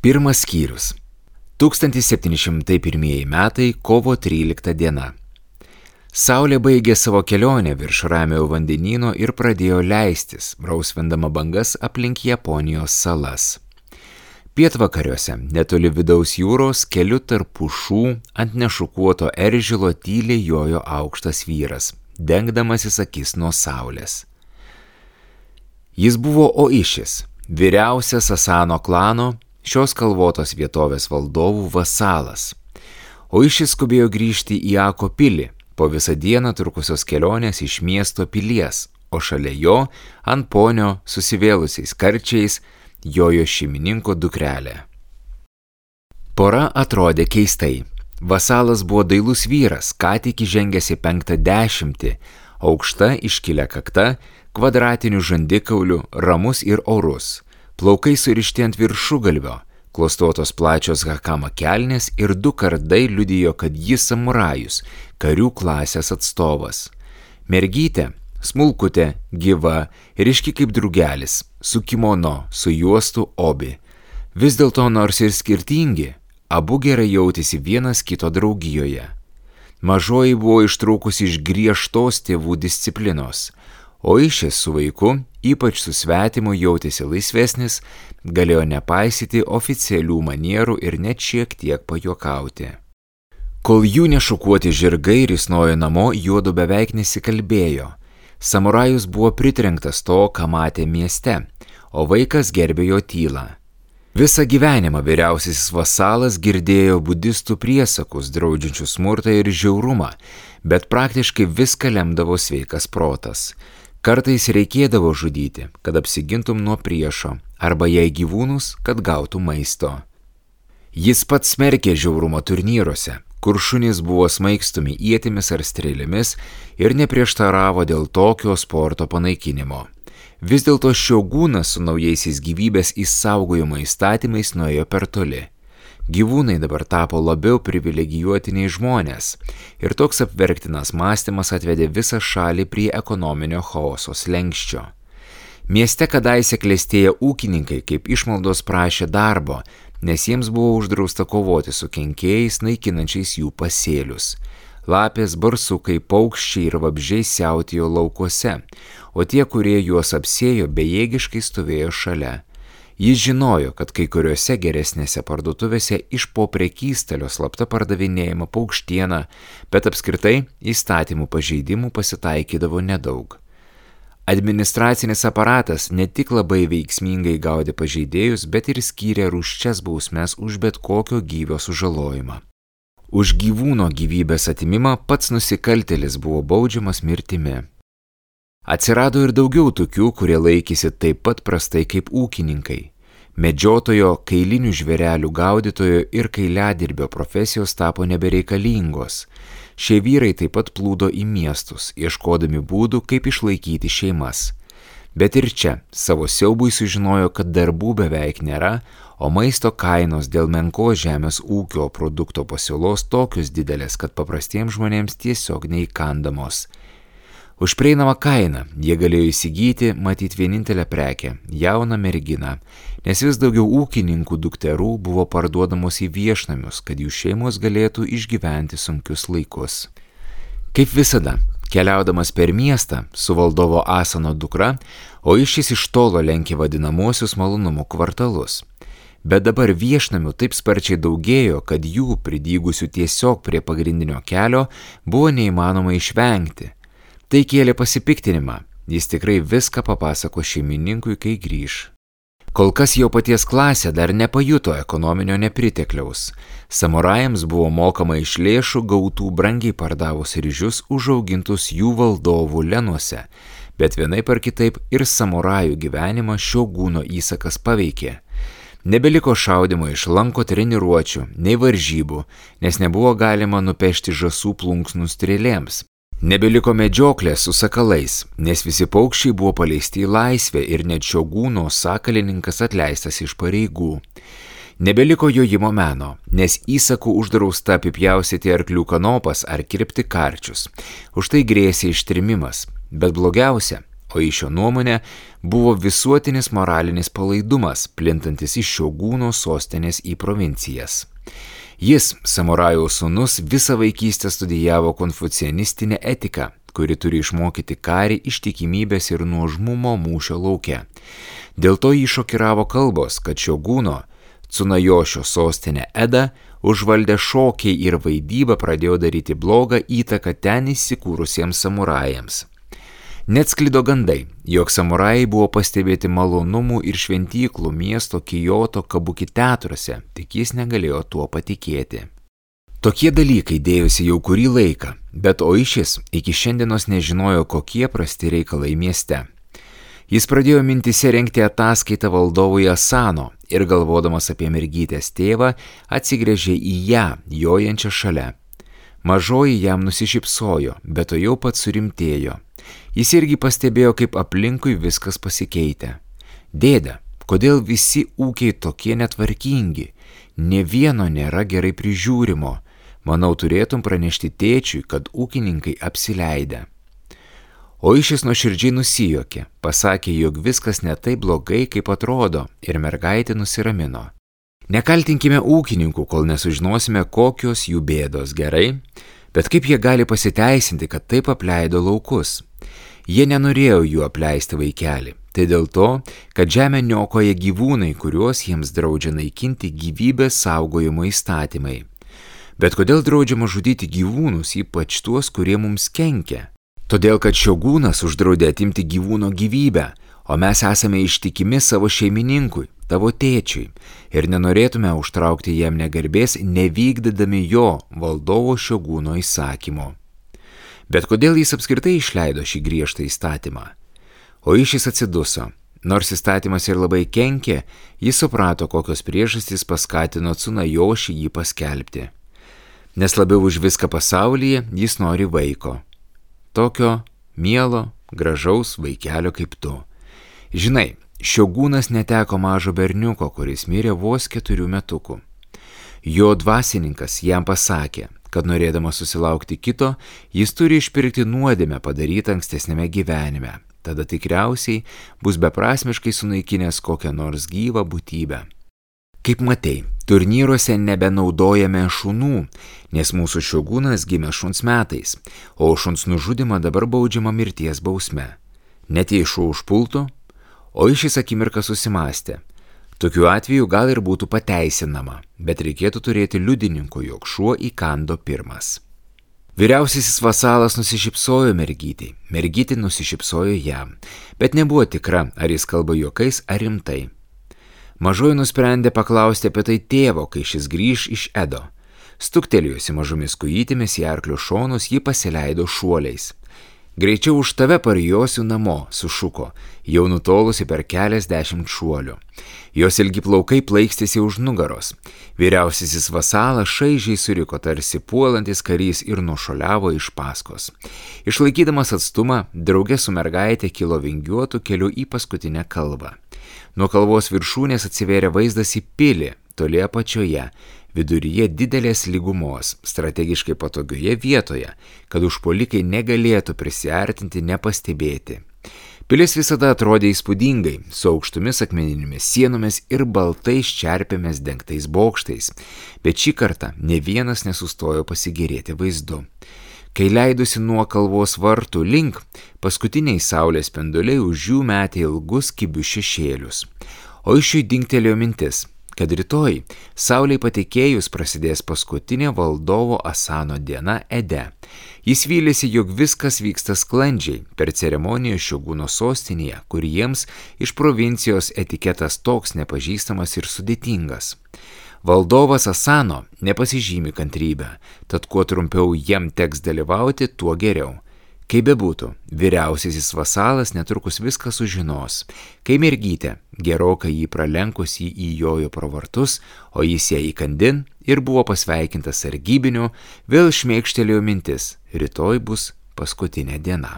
Pirmas skyrius. 1701 metai, kovo 13 diena. Saulė baigė savo kelionę virš Ramiojo vandenyno ir pradėjo leistis, rausvindama bangas aplink Japonijos salas. Pietvakariuose, netoli vidaus jūros, keliu tarp pušų ant nešukuoto eržilo tyliai jojo aukštas vyras, dengdamasis akis nuo saulės. Jis buvo Oišis, vyriausias Asano klano, šios kalvotos vietovės valdovų vasalas. Oišis skubėjo grįžti į Ako pilį, po visą dieną trukusios kelionės iš miesto pilies, o šalia jo, ant ponio susivėlusiais karčiais, jojo šeimininko dukrelė. Pora atrodė keistai. Vasalas buvo dailus vyras, ką tik įžengęs į 50, aukšta iškilę kakta, kvadratinių žandikaulių, ramus ir orus, plaukai surišti ant viršugalvio, klostuotos plačios hakama kelnės ir 2 kardai liudijo, kad jis samurajus, karių klasės atstovas. Mergytė, smulkutė, gyva, ryški kaip drugelis, su kimono, su juostu obi. Vis dėlto nors ir skirtingi, abu gerai jautėsi vienas kito draugijoje. Mažoji buvo ištrūkusi iš griežtos tėvų disciplinos, o Oišis su vaiku, ypač su svetimu, jautėsi laisvesnis, galėjo nepaisyti oficialių manierų ir net šiek tiek pajuokauti. Kol jų nešukuoti žirgai risnojo namo, juodu beveik nesikalbėjo. Samurajus buvo pritrenktas to, ką matė mieste, o vaikas gerbė jo tylą. Visą gyvenimą vyriausiasis vasalas girdėjo budistų priesakus, draudžiančių smurtą ir žiaurumą, bet praktiškai viską lemdavo sveikas protas. Kartais reikėdavo žudyti, kad apsigintum nuo priešo, arba jei gyvūnus, kad gautų maisto. Jis pats smerkė žiaurumo turnyruose, kur šunys buvo smaigstomi ietimis ar strėlėmis ir neprieštaravo dėl tokio sporto panaikinimo. Vis dėlto Šiogūnas su naujaisiais gyvybės išsaugojimo įstatymais nuėjo per toli. Gyvūnai dabar tapo labiau privilegijuoti nei žmonės ir toks apverktinas mąstymas atvedė visą šalį prie ekonominio chaoso slenksčio. Mieste kadaise klestėję ūkininkai kaip išmaldos prašė darbo, nes jiems buvo uždrausta kovoti su kenkėjais naikinančiais jų pasėlius. Lapės, barsukai, paukščiai ir vabzdžiai siautėjo laukuose, o tie, kurie juos apsėjo, bejėgiškai stovėjo šalia. Jis žinojo, kad kai kuriuose geresnėse parduotuvėse iš po prekystalio slapta pardavinėjama paukštiena, bet apskritai įstatymų pažeidimų pasitaikydavo nedaug. Administracinis aparatas ne tik labai veiksmingai gaudė pažeidėjus, bet ir skyrė rūsčias bausmes už bet kokio gyvio sužalojimą. Už gyvūno gyvybės atimimą pats nusikaltėlis buvo baudžiamas mirtimi. Atsirado ir daugiau tokių, kurie laikėsi taip pat prastai kaip ūkininkai. Medžiotojo, kailinių žvėrelių gaudytojo ir kailiadirbio profesijos tapo nebereikalingos. Šie vyrai taip pat plūdo į miestus, ieškodami būdų, kaip išlaikyti šeimas. Bet ir čia savo siaubui sužinojo, kad darbų beveik nėra, o maisto kainos dėl menkos žemės ūkio produkto pasiūlos tokios didelės, kad paprastiems žmonėms tiesiog neįkandamos. Už prieinamą kainą jie galėjo įsigyti, matyt, vienintelę prekę – jauną merginą, nes vis daugiau ūkininkų dukterų buvo parduodamos į viešnamius, kad jų šeimos galėtų išgyventi sunkius laikus. Kaip visada, keliaudamas per miestą su valdovo Asano dukra, Oišis iš tolo lenkė vadinamosius malonumų kvartalus. Bet dabar viešnamių taip sparčiai daugėjo, kad jų pridygusių tiesiog prie pagrindinio kelio buvo neįmanoma išvengti. Tai kėlė pasipiktinimą, jis tikrai viską papasako šeimininkui, kai grįš. Kol kas jo paties klasė dar nepajuto ekonominio nepritekliaus. Samurajams buvo mokama iš lėšų gautų brangiai pardavus ryžius užaugintus jų valdovų lenuose, bet vienaip ar kitaip ir samurajų gyvenimą Šiogūno įsakas paveikė. Nebeliko šaudimo iš lanko treniruočių, nei varžybų, nes nebuvo galima nupešti žąsų plunksnų strėlėms. Nebeliko medžioklės su sakalais, nes visi paukščiai buvo paleisti į laisvę ir net Šiogūno sakalininkas atleistas iš pareigų. Nebeliko jojimo meno, nes įsakų uždrausta apipjaustyti arklių kanopas ar kirpti karčius. Už tai grėsė ištrimimas, bet blogiausia, Oišio nuomonė buvo visuotinis moralinis palaidumas, plintantis iš Šiogūno sostinės į provincijas. Jis, samurajaus sūnus, visą vaikystę studijavo konfucianistinę etiką, kuri turi išmokyti karį ištikimybės ir nuožmumo mūšio lauke. Dėl to jį šokiravo kalbos, kad Šiogūno Cunajošio sostinė Eda užvaldę šokiai ir vaidyba pradėjo daryti blogą įtaką ten įsikūrusiems samurajams. Net sklido gandai, jog samurajai buvo pastebėti malonumų ir šventyklų miesto Kioto Kabuki teatruose, tik jis negalėjo tuo patikėti. Tokie dalykai dėjosi jau kurį laiką, bet Oišis iki šiandienos nežinojo, kokie prasti reikalai mieste. Jis pradėjo mintise rengti ataskaitą valdovui Asano ir galvodamas apie mergytės tėvą, atsigręžė į ją, jojančią šalia. Mažoji jam nusišypsojo, bet to jau pats surimtėjo. Jis irgi pastebėjo, kaip aplinkui viskas pasikeitė. Dėde, kodėl visi ūkiai tokie netvarkingi? Nė vieno nėra gerai prižiūrimo. Manau, turėtum pranešti tėčiui, kad ūkininkai apsileidę. Oišis nuoširdžiai nusijuokė, pasakė, jog viskas ne taip blogai, kaip atrodo, ir mergaitė nusiramino. Nekaltinkime ūkininkų, kol nesužinosime, kokios jų bėdos, gerai? Bet kaip jie gali pasiteisinti, kad taip apleido laukus? Jie nenorėjo jų apleisti, vaikelį. Tai dėl to, kad žemę niokoja gyvūnai, kuriuos jiems draudžia naikinti gyvybės saugojimo įstatymai. Bet kodėl draudžiama žudyti gyvūnus, ypač tuos, kurie mums kenkia? Todėl, kad Šiogūnas uždraudė atimti gyvūno gyvybę, o mes esame ištikimi savo šeimininkui, tavo tėčiui, ir nenorėtume užtraukti jam negarbės, nevykdydami jo, valdovo Šiogūno įsakymo. Bet kodėl jis apskritai išleido šį griežtą įstatymą? Oišis atsiduso. Nors įstatymas ir labai kenkė, jis suprato, kokios priežastys paskatino Cunajošį jį paskelbti. Nes labiau už viską pasaulyje jis nori vaiko. Tokio mielo, gražaus vaikelio kaip tu. Žinai, Šiogūnas neteko mažo berniuko, kuris mirė vos 4 metukų. Jo dvasininkas jam pasakė, kad norėdamas susilaukti kito, jis turi išpirkti nuodėmę padarytą ankstesnėme gyvenime. Tada tikriausiai bus beprasmiškai sunaikinęs kokią nors gyvą būtybę. Kaip matei, turnyruose nebenaudojame šunų, nes mūsų Šiogūnas gimė šuns metais, o šuns nužudimą dabar baudžiama mirties bausme. Net jei šuo užpultų, Oišis akimirką susimastė. Tokiu atveju gal ir būtų pateisinama, bet reikėtų turėti liudininkų, jog šuo įkando pirmas. Vyriausiasis vasalas nusišypsojo mergytei, mergytė nusišypsojo jam, bet nebuvo tikra, ar jis kalba juokais ar rimtai. Mažoji nusprendė paklausti apie tai tėvo, kai šis grįž iš Edo. Stuktelėjusi mažomis kojytėmis į arklio šonus, ji pasileido šuoliais. Greičiau už tave parijosiu namo, sušuko, jau nutolusi per keliasdešimt šuolių. Jos ilgi plaukai plaikstėsi už nugaros. Vyriausiasis vasalas šaižiai suriko tarsi puolantis karys ir nušuoliavo iš paskos. Išlaikydamas atstumą, drauge su mergaitė kilo vingiuotų keliu į paskutinę kalvą. Nuo kalvos viršūnės atsivėrė vaizdas į pilį, toli apačioje, viduryje didelės lygumos, strategiškai patogioje vietoje, kad užpuolikai negalėtų prisiartinti nepastebėti. Pilis visada atrodė įspūdingai, su aukštomis akmeninėmis sienomis ir baltais čerpėmis dengtais bokštais, bet šį kartą ne vienas nesustojo pasigėrėti vaizdu. Kai leidusi nuo kalvos vartų link, paskutiniai saulės spinduliai už jų metė ilgus kibius šešėlius. Oišiui dingtelėjo mintis, kad rytoj, saulei patekėjus, prasidės paskutinė valdovo Asano diena Ede. Jis vylėsi, jog viskas vyksta sklandžiai per ceremoniją Šiogūno sostinėje, kur jiems iš provincijos etiketas toks nepažįstamas ir sudėtingas. Valdovas Asano nepasižymi kantrybę, tad kuo trumpiau jam teks dalyvauti, tuo geriau. Kaip bebūtų, vyriausiasis vasalas netrukus viską sužinos, kai mergytė, gerokai jį pralenkus jį įjojo pro vartus, o jis ją įkandin ir buvo pasveikintas sargybiniu, vėl šmėkštelėjo mintis, rytoj bus paskutinė diena.